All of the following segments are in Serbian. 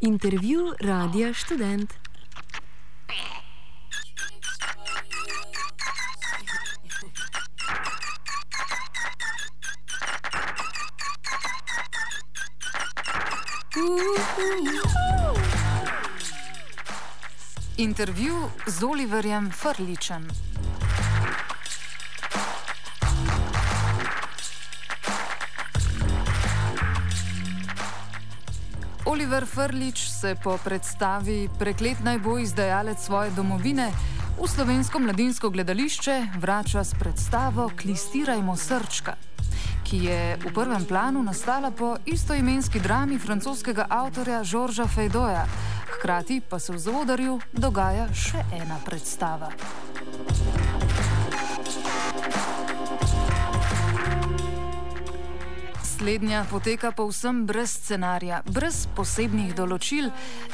Intervju Radia Študent. Intervju z Oliverjem Frljićem. Oliver Frljić se po predstavi Preklet naj bo izdajalec svoje domovine v slovensko mladinsko gledališče vrača s predstavo Klistirajmo srčka, ki je v prvem planu nastala po istoimenski drami francoskega avtorja Georgesa Feydeauja. Hkrati pa se v zaodrju dogaja še ena predstava. Slednja poteka povsem brez scenarija, brez posebnih določil.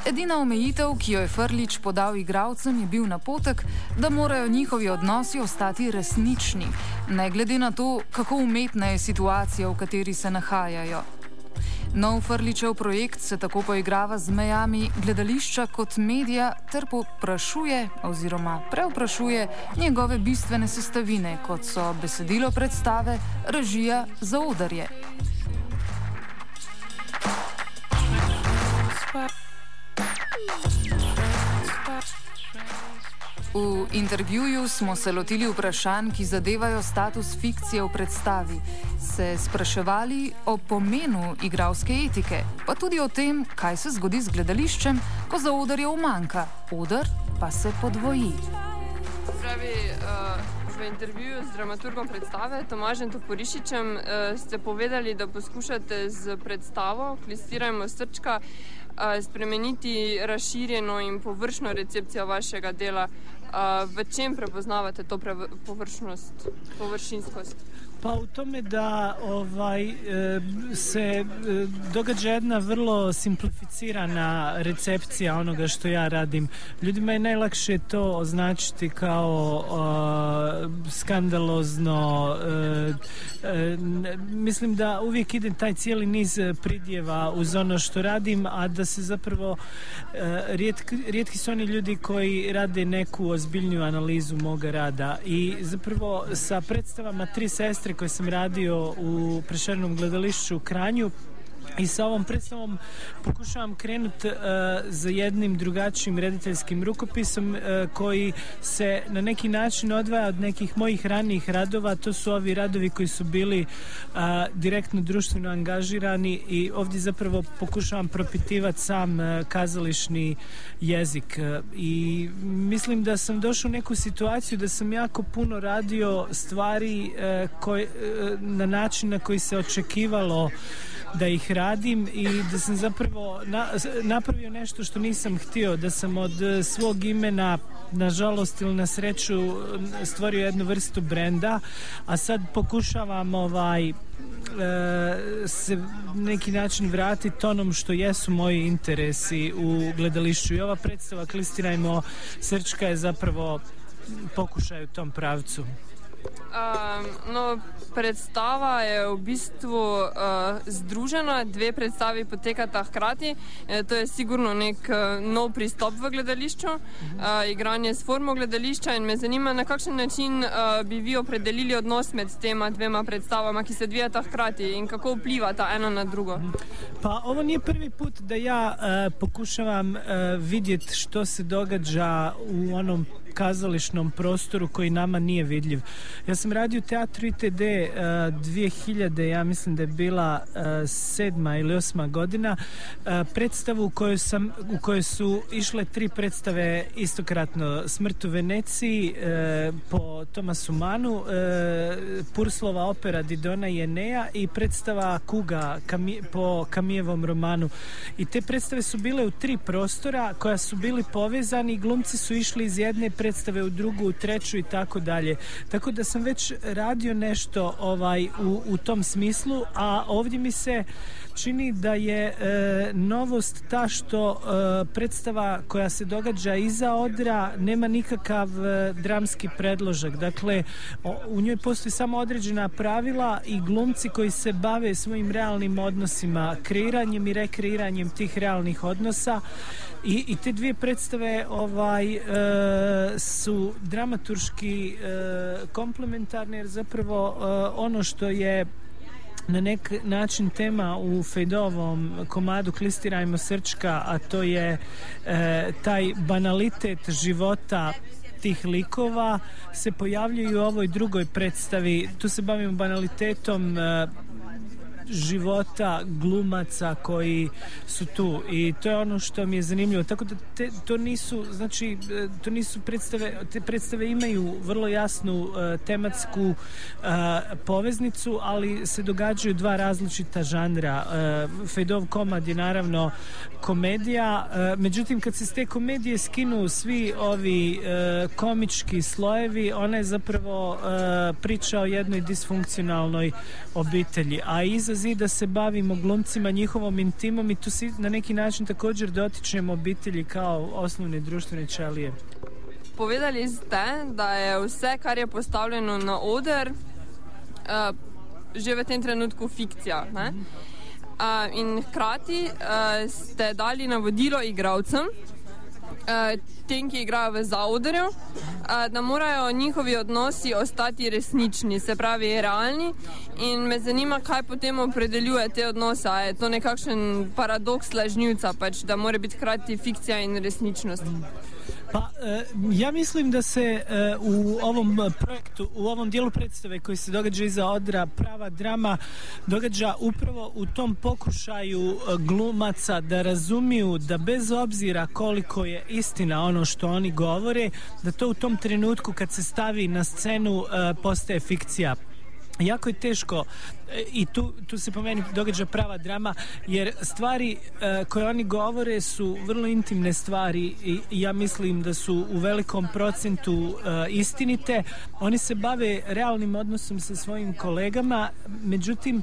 Edina omejitev, ki jo je Frljić podal igralcem, je bil napotek, da morajo njihovi odnosi ostati resnični, ne glede na to, kako umetna je situacija, v kateri se nahajajo. Nov Frljićev projekt se tako poigrava z mejami gledališča kot medija ter povprašuje oziroma prevprašuje njegove bistvene sestavine, kot so besedilo predstave, režija, zaodrje. V intervjuju smo se lotili vprašanj, ki zadevajo status fikcije v predstavi, se spraševali o pomenu igralske etike, pa tudi o tem, kaj se zgodi z gledališčem, ko zaodrje umanjka, oder pa se podvoji. V intervjuju z dramaturgom predstave Tomažem Toporišičem ste povedali, da poskušate z predstavo Klistirajmo srčka spremeniti razširjeno in površno recepcijo vašega dela. V čem prepoznavate to površinskost? Pa u tome da se događa jedna vrlo simplificirana recepcija onoga što ja radim. Ljudima je najlakše to označiti kao skandalozno. Mislim da uvijek ide taj cijeli niz pridjeva uz ono što radim, a da se zapravo rijetki su oni ljudi koji rade neku ozbiljniju analizu moga rada. I zapravo sa predstavama Tri sestre koje sam radio u Prešernom gledališću u Kranju i sa ovom predstavom pokušavam krenuti za jednim drugačijim rediteljskim rukopisom koji se na neki način odvaja od nekih mojih ranijih radova. To su ovi radovi koji su bili direktno društveno angažirani i ovdje zapravo pokušavam propitivati sam kazališni jezik. I mislim da sam došao u neku situaciju da sam jako puno radio stvari na način na koji se očekivalo da ih radim i da sam zapravo napravio nešto što nisam htio, da sam od svog imena, nažalost ili na sreću, stvorio jednu vrstu brenda, a sad pokušavam se neki način vratiti onom što jesu moji interesi u gledališću. I ova predstava Klistirajmo srčka je zapravo pokušaj u tom pravcu. Predstava je v bistvu združena, dve predstavi potekata hkrati. To je sigurno nek nov pristop v gledališču, igranje s formo gledališča, in me zanima, na kakšen način bi vi opredelili odnos med tema dvema predstavama, ki se odvijata hkrati, in kako vplivata ena na drugo. Pa ovo nije prvi put da ja pokušavam vidjeti što se događa u onom kazališnom prostoru koji nama nije vidljiv. Ja sam radio u teatru ITD 2000, ja mislim da je bila 7. ili 8. godina, predstavu u kojoj su išle 3 predstave istokratno: Smrt u Veneciji po Tomasu Manu, Purslova opera Didona i Enea i predstava Kuga po Kamijevom romanu. I te predstave su bile u 3 prostora koja su bili povezani i glumci su išli iz jedne predstave u drugu, u treću i tako dalje. Tako da sam već radio nešto u tom smislu, a ovdje mi se čini da je novost ta što predstava koja se događa iza odra nema nikakav dramski predložak. Dakle, u njoj postoji samo određena pravila i glumci koji se bave svojim realnim odnosima, kreiranjem i rekreiranjem tih realnih odnosa. I te dvije predstave su dramaturški komplementarne, jer zapravo ono što je na nek način tema u Fejdovom komadu Klistirajmo srčka, a to je taj banalitet života tih likova, se pojavljaju u ovoj drugoj predstavi. Tu se bavimo banalitetom života glumaca koji su tu i to je ono što mi je zanimljivo. Tako da to nisu predstave, te predstave imaju vrlo jasnu tematsku poveznicu, ali se događaju dva različita žanra. Fejdov komad je naravno komedija, međutim kad se s te komedije skinu svi ovi komički slojevi, ona je zapravo priča o jednoj disfunkcionalnoj obitelji, a iza zida se bavimo glumcima, njihovom intimom i tu se na neki način također dotičemo obitelji kao osnovne društvene ćelije. Povedali ste, da je vse, kar je postavljeno na oder, že v tem trenutku fikcija. Ne? In hkrati ste dali navodilo igralcem, tem, ki igrajo v zaodrju, da morajo njihovi odnosi ostati resnični, se pravi realni, in me zanima, kaj potem opredeljuje te odnose. Je to nekakšen paradoks lažnivca, pač, da mora biti hkrati fikcija in resničnost? Pa, ja mislim da se u ovom projektu, u ovom dijelu predstave koji se događa iza odra, prava drama, događa upravo u tom pokušaju glumaca da razumiju da bez obzira koliko je istina ono što oni govore, da to u tom trenutku kad se stavi na scenu postaje fikcija. Jako je teško i tu se po meni događa prava drama, jer stvari koje oni govore su vrlo intimne stvari i ja mislim da su u velikom procentu istinite. Oni se bave realnim odnosom sa svojim kolegama, međutim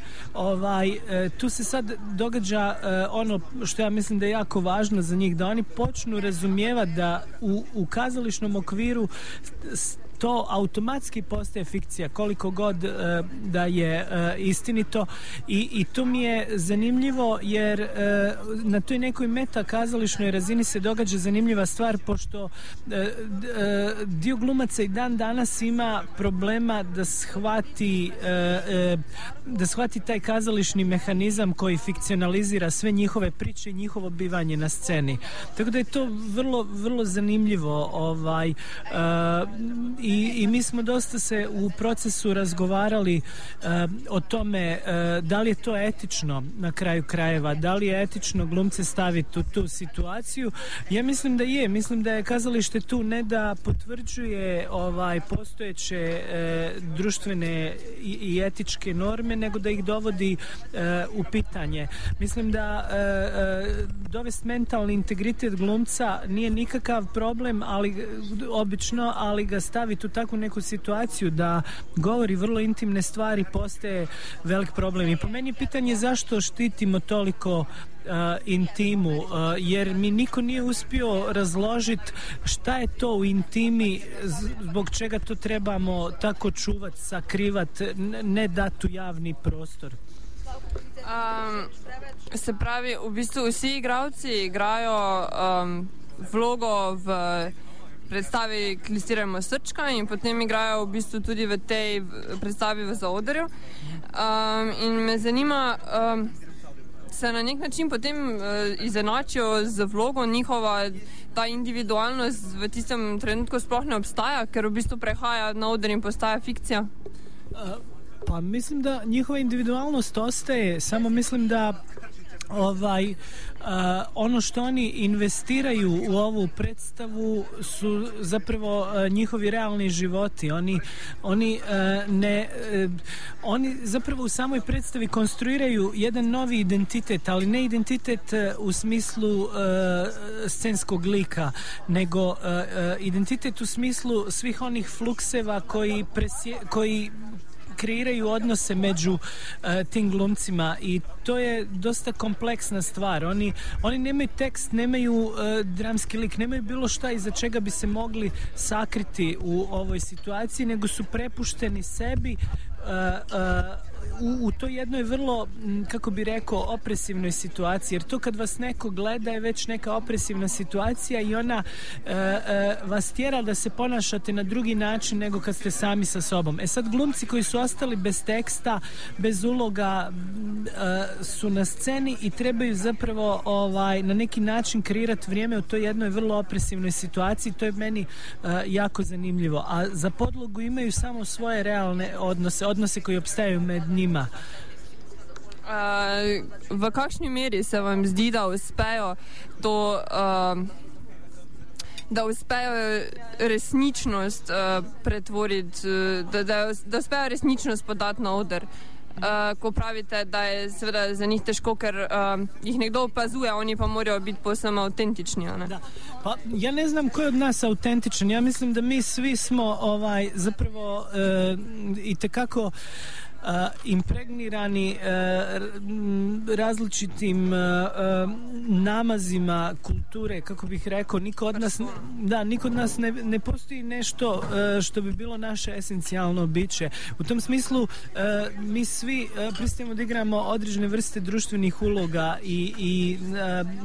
tu se sad događa ono što ja mislim da je jako važno za njih, da oni počnu razumijevati da u kazališnom okviru to automatski postaje fikcija, koliko god da je istinito i to mi je zanimljivo, jer na toj nekoj meta kazališnoj razini se događa zanimljiva stvar, pošto dio glumaca i dan danas ima problema da shvati taj kazališni mehanizam koji fikcionalizira sve njihove priče i njihovo bivanje na sceni. Tako da je to vrlo, vrlo zanimljivo i mi smo dosta se u procesu razgovarali o tome da li je to etično na kraju krajeva, da li je etično glumce staviti u tu situaciju. Ja mislim da je, mislim da je kazalište tu ne da potvrđuje postojeće društvene i etičke norme, nego da ih dovodi u pitanje. Mislim da dovesti mentalni integritet glumca nije nikakav problem, obično, ali ga staviti u takvu neku situaciju da govori vrlo intimne stvari postaje velik problem. I po meni je pitanje zašto štitimo toliko intimu, jer mi niko nije uspio razložiti šta je to u intimi, zbog čega to trebamo tako čuvati, sakrivati, ne dati u javni prostor. Se pravi, v bistvu vsi igralci igrajo vlogo v predstavi Klistirajmo srčka in potem igrajo v bistvu tudi v tej predstavi v zaodrju. In me zanima, se na nek način potem izenačijo z vlogo, njihova ta individualnost v tistem trenutku sploh ne obstaja, ker v bistvu prehaja na oder in postaja fikcija? Pa mislim da njihova individualnost ostaje, samo mislim da ono što oni investiraju u ovu predstavu su zapravo njihovi realni životi. Oni zapravo u samoj predstavi konstruiraju jedan novi identitet, ali ne identitet u smislu scenskog lika, nego kreiraju odnose među tim glumcima i to je dosta kompleksna stvar. Oni nemaju tekst, nemaju dramski lik, nemaju bilo šta iza čega bi se mogli sakriti u ovoj situaciji, nego su prepušteni sebi u toj jednoj vrlo, kako bi rekao, opresivnoj situaciji, jer to kad vas neko gleda je već neka opresivna situacija i ona vas tjera da se ponašate na drugi način nego kad ste sami sa sobom. Sad glumci koji su ostali bez teksta, bez uloga, su na sceni i trebaju zapravo na neki način kreirati vrijeme u toj jednoj vrlo opresivnoj situaciji. To je meni jako zanimljivo. A za podlogu imaju samo svoje realne odnose koji opstaju med njima. V kakšni meri se vam zdi, da uspejo to, da uspejo resničnost pretvoriti, da uspejo resničnost podati na oder? Ko pravite, da je seveda za njih težko, ker jih nekdo opazuje, oni pa morajo biti posebno avtentični. Da. Pa ja ne znam ko je od nas autentičan. Ja mislim da mi svi smo zapravo itekako impregnirani različitim namazima kulture, kako bih rekao. Niko od nas ne postoji nešto što bi bilo naše esencijalno biće. U tom smislu mi svi pristajemo da igramo određene vrste društvenih uloga i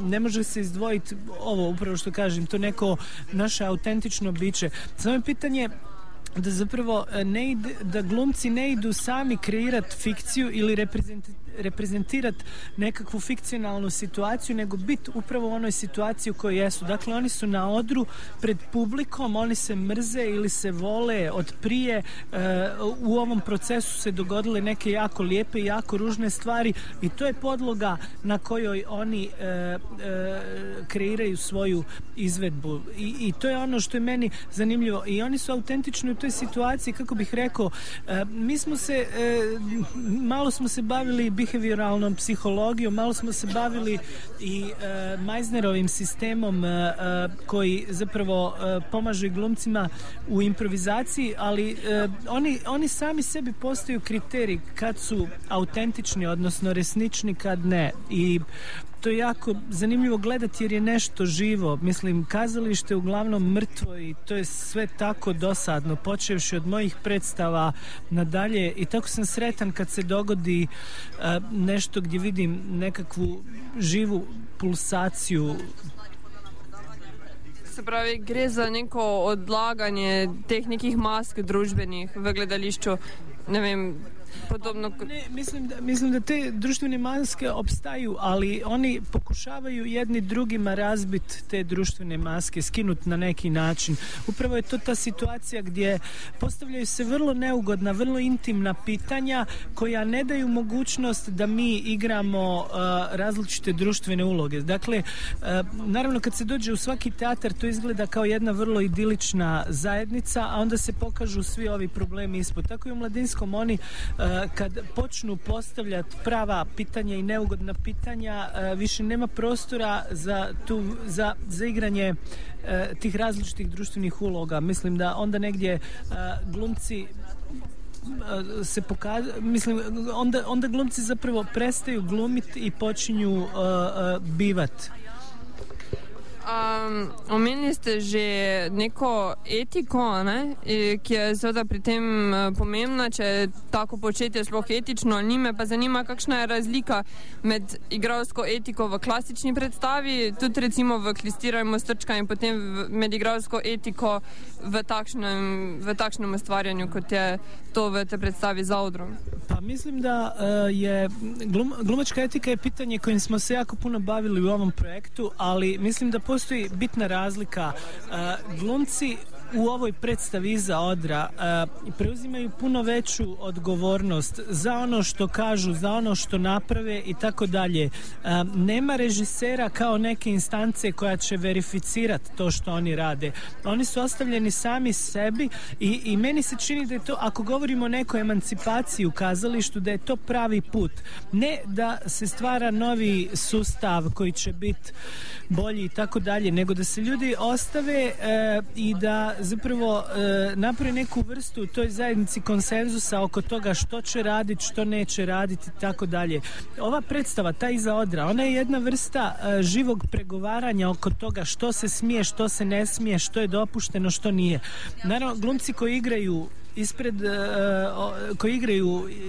ne može se izdvojiti ovo, upravo što kažem, to neko naše autentično biće. Samo je pitanje da zapravo da glumci ne idu sami kreirati fikciju ili reprezentirati nekakvu fikcionalnu situaciju, nego biti upravo u onoj situaciji u kojoj jesu. Dakle, oni su na odru pred publikom, oni se mrze ili se vole od prije. U ovom procesu se dogodile neke jako lijepe i jako ružne stvari i to je podloga na kojoj oni kreiraju svoju izvedbu. I to je ono što je meni zanimljivo. I oni su autentični u toj situaciji, kako bih rekao. Mi smo se, malo smo se bavili behavioralnom psihologijom, malo smo se bavili i Meisnerovim sistemom koji zapravo pomaže glumcima u improvizaciji, ali oni sami sebi postaju kriterij kad su autentični, odnosno resnični, kad ne. I to je jako zanimljivo gledati jer je nešto živo. Mislim, kazalište je uglavnom mrtvo i to je sve tako dosadno, počevši od mojih predstava nadalje, i tako sam sretan kad se dogodi nešto gdje vidim nekakvu živu pulsaciju. Se pravi, gre za neko odlaganje teh nekih mask družbenih v gledališču, ne vem, podobno. Ne, mislim da te društvene maske opstaju, ali oni pokušavaju jedni drugima razbiti te društvene maske, skinuti na neki način. Upravo je to ta situacija gdje postavljaju se vrlo neugodna, vrlo intimna pitanja koja ne daju mogućnost da mi igramo različite društvene uloge. Dakle, naravno kad se dođe u svaki teatar to izgleda kao jedna vrlo idilična zajednica, a onda se pokažu svi ovi problemi ispod. Tako i u Mladinskom oni kad počnu postavljati prava pitanja i neugodna pitanja, više nema prostora za igranje tih različitih društvenih uloga. Mislim da onda negdje glumci se onda glumci zapravo prestaju glumiti i počinju bivati. Omenili ste že neko etiko, ne? Ki je seveda pri tem pomembna, če je tako početje sploh etično ali ni. Me pa zanima, kakšna je razlika med igralsko etiko v klasični predstavi, tudi recimo v Klistirajmo Strčka, in potem med igralsko etiko v takšnem ustvarjanju, kot je to v te predstavi za odrom. Pa mislim da je glumačka etika je pitanje kojim smo se jako puno bavili u ovom projektu, ali mislim da postoji bitna razlika. Glumci u ovoj predstavi Iza odra preuzimaju puno veću odgovornost za ono što kažu, za ono što naprave i tako dalje. Nema režisera kao neke instance koja će verificirati to što oni rade. Oni su ostavljeni sami sebi i meni se čini da je to, ako govorimo o nekoj emancipaciji u kazalištu, da je to pravi put. Ne da se stvara novi sustav koji će biti bolji i tako dalje, nego da se ljudi ostave i da zapravo napravi neku vrstu u toj zajednici konsenzusa oko toga što će raditi, što neće raditi i tako dalje. Ova predstava, ta Iza odra, ona je jedna vrsta živog pregovaranja oko toga što se smije, što se ne smije, što je dopušteno, što nije. Naravno, glumci koji igraju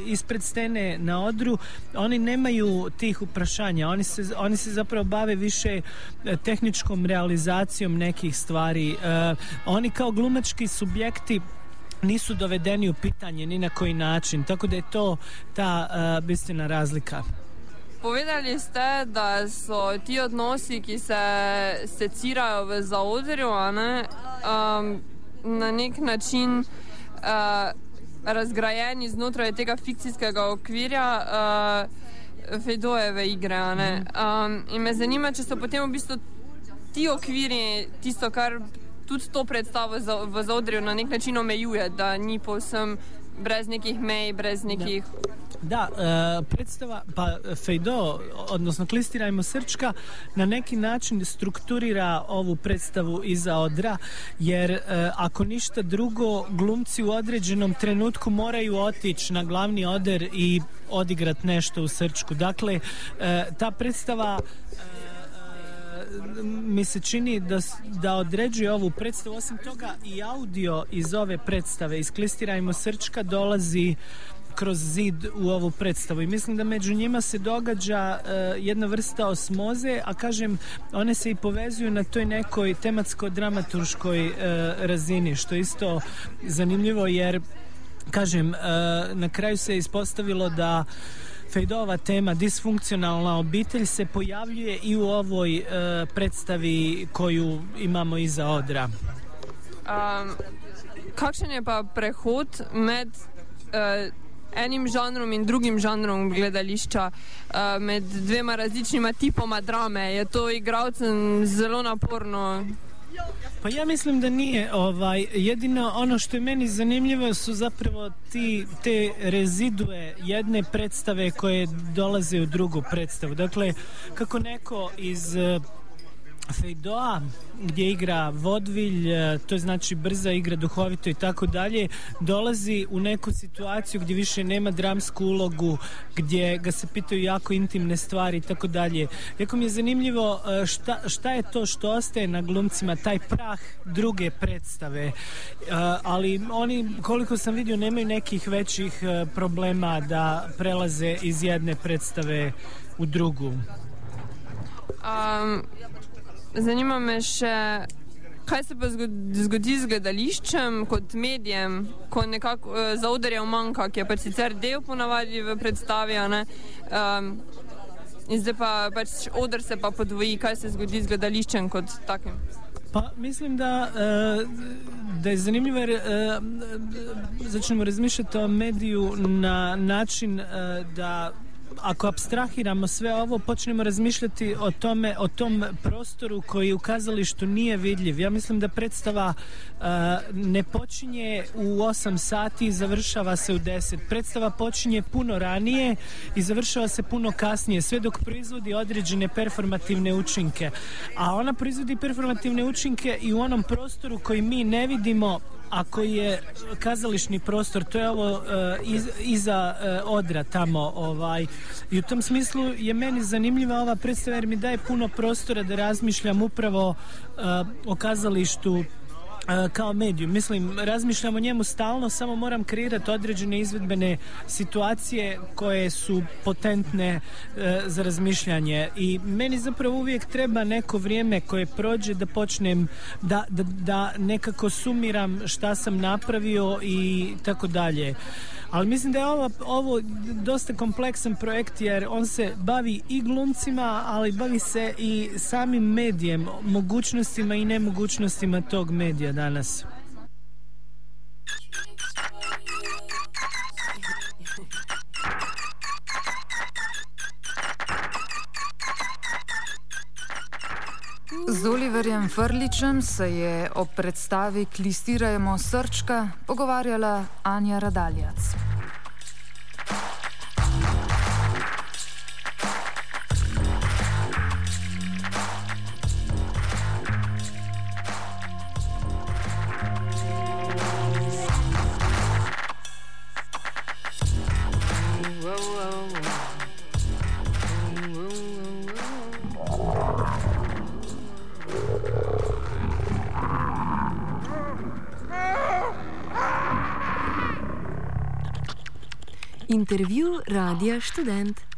ispred scene na odru, oni nemaju tih uprašanja, oni se zapravo bave više tehničkom realizacijom nekih stvari. Oni kao glumački subjekti nisu dovedeni u pitanje ni na koji način, tako da je to ta bistvena razlika. Povedali ste, da so ti odnosi, ki se secirajo v zaodrju, na nek način razgrajeni znotraj tega fikcijskega okvirja Fejdojeve igre. In me zanima, če so potem v bistvu ti okviri tisto, kar tudi to predstavo v zaodrju na nek način omejuje, da ni povsem brez nekih mej, brez nekih... Da, predstava, pa Fejdo, odnosno Klistirajmo Srčka, na neki način strukturira ovu predstavu Iza odra, jer ako ništa drugo, glumci u određenom trenutku moraju otići na glavni oder i odigrat nešto u Srčku. Dakle, ta predstava mi se čini da određuje ovu predstavu. Osim toga, i audio iz ove predstave, iz Klistirajmo Srčka, dolazi kroz zid u ovu predstavu i mislim da među njima se događa jedna vrsta osmoze, a kažem, one se i povezuju na toj nekoj tematsko-dramaturškoj razini, što je isto zanimljivo, jer kažem, na kraju se ispostavilo da Fejdova tema disfunkcionalna obitelj se pojavljuje i u ovoj predstavi koju imamo Iza odra. Kakšen je pa prehod med enim žanrom in drugim žanrom gledališča, med dvema različnima tipoma drame? Je to igralcem zelo naporno? Pa ja mislim da nije. Jedino ono što je meni zanimljivo su zapravo te rezidue jedne predstave koje dolaze u drugu predstavu. Dakle, kako neko iz Fejdoa, gdje igra vodvilj, to je znači brza igra, duhovito i tako dalje, dolazi u neku situaciju gdje više nema dramsku ulogu, gdje ga se pitaju jako intimne stvari i tako dalje. Jako mi je zanimljivo šta je to što ostaje na glumcima, taj prah druge predstave, ali oni, koliko sam vidio, nemaju nekih većih problema da prelaze iz jedne predstave u drugu. Zanima me še, kaj se pa zgodi z gledališčem kot medijem, ko nekako zaodrjev manjka, ki je pač sicer del ponavadi v predstavi, in zdaj pa pač oder se pa podvoji. Kaj se zgodi z gledališčem kot takim? Pa mislim da je zanimljivo, jer začnemo razmišljati o mediju na način da ako apstrahiramo sve ovo, počnemo razmišljati o tom prostoru koji u kazalištu nije vidljiv. Ja mislim da predstava ne počinje u 8 sati i završava se u 10. Predstava počinje puno ranije i završava se puno kasnije, sve dok proizvodi određene performativne učinke. A ona proizvodi performativne učinke i u onom prostoru koji mi ne vidimo, a koji je kazališni prostor, to je ovo Iza odra tamo. I u tom smislu je meni zanimljiva ova predstava, jer mi daje puno prostora da razmišljam upravo o kazalištu kao mediju. Mislim, razmišljam o njemu stalno, samo moram kreirati određene izvedbene situacije koje su potentne za razmišljanje. I meni zapravo uvijek treba neko vrijeme koje prođe da počnem da nekako sumiram šta sam napravio i tako dalje. Ali mislim da je ovo dosta kompleksan projekt, jer on se bavi i glumcima, ali bavi se i samim medijem, mogućnostima i nemogućnostima tog medija danas. Z Oliverjem Frljićem se je o predstavi Klistirajmo Srčka pogovarjala Anja Radaljac. Intervju Radia Študent.